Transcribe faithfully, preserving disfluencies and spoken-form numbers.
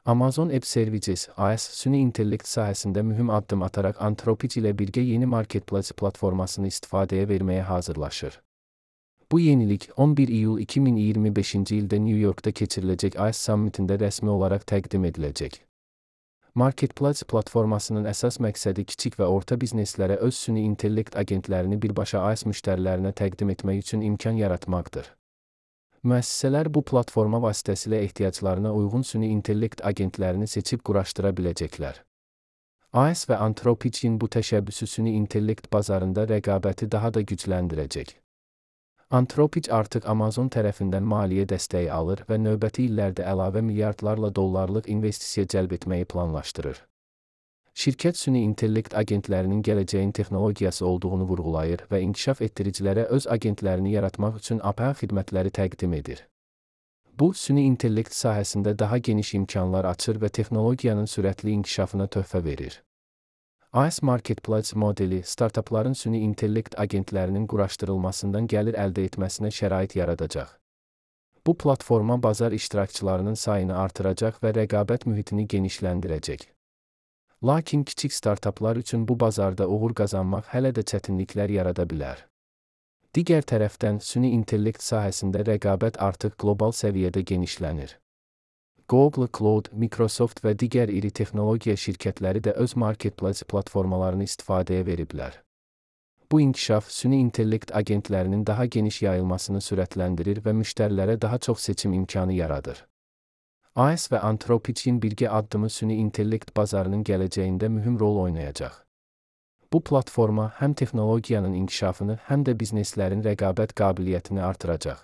Amazon Web Services A S, süni intellekt sahəsində mühüm addım ataraq Anthropic ilə birgə yeni marketplace platformasını istifadəyə verməyə hazırlaşır. Bu yenilik on bir iyul iki min iyirmi beşinci ildə New Yorkda keçiriləcək A S Summitində rəsmi olaraq təqdim ediləcək. Marketplace platformasının əsas məqsədi kiçik və orta bizneslərə öz süni intellekt agentlərini birbaşa A S müştərilərinə təqdim etmək üçün imkan yaratmaqdır. Müəssisələr bu platforma vasitəsilə ehtiyaclarına uyğun süni intellekt agentlərini seçib quraşdıra biləcəklər. A S və Anthropic'in bu təşəbbüsü süni intellekt bazarında rəqabəti daha da gücləndirəcək. Anthropic artıq Amazon tərəfindən maliyyə dəstəyi alır və növbəti illərdə əlavə milyardlarla dollarlıq investisiya cəlb etməyi planlaşdırır. Şirkət süni intellekt agentlərinin gələcəyin texnologiyası olduğunu vurğulayır və inkişaf etdiricilərə öz agentlərini yaratmaq üçün A P I xidmətləri təqdim edir. Bu, süni intellekt sahəsində daha geniş imkanlar açır və texnologiyanın sürətli inkişafına töhfə verir. A S Marketplace modeli, startapların süni intellekt agentlərinin quraşdırılmasından gəlir əldə etməsinə şərait yaradacaq. Bu platforma bazar iştirakçılarının sayını artıracaq və rəqabət mühitini genişləndirəcək. Lakin kiçik startaplar üçün bu bazarda uğur qazanmaq hələ də çətinliklər yarada bilər. Digər tərəfdən, süni intellekt sahəsində rəqabət artıq qlobal səviyyədə genişlənir. Google Cloud, Microsoft və digər iri texnologiya şirkətləri də öz marketplace platformalarını istifadəyə veriblər. Bu inkişaf süni intellekt agentlərinin daha geniş yayılmasını sürətləndirir və müştərilərə daha çox seçim imkanı yaradır. A S və Anthropic'in birgə addımı süni intellekt bazarının gələcəyində mühüm rol oynayacaq. Bu platforma həm texnologiyanın inkişafını, həm də bizneslərin rəqabət qabiliyyətini artıracaq.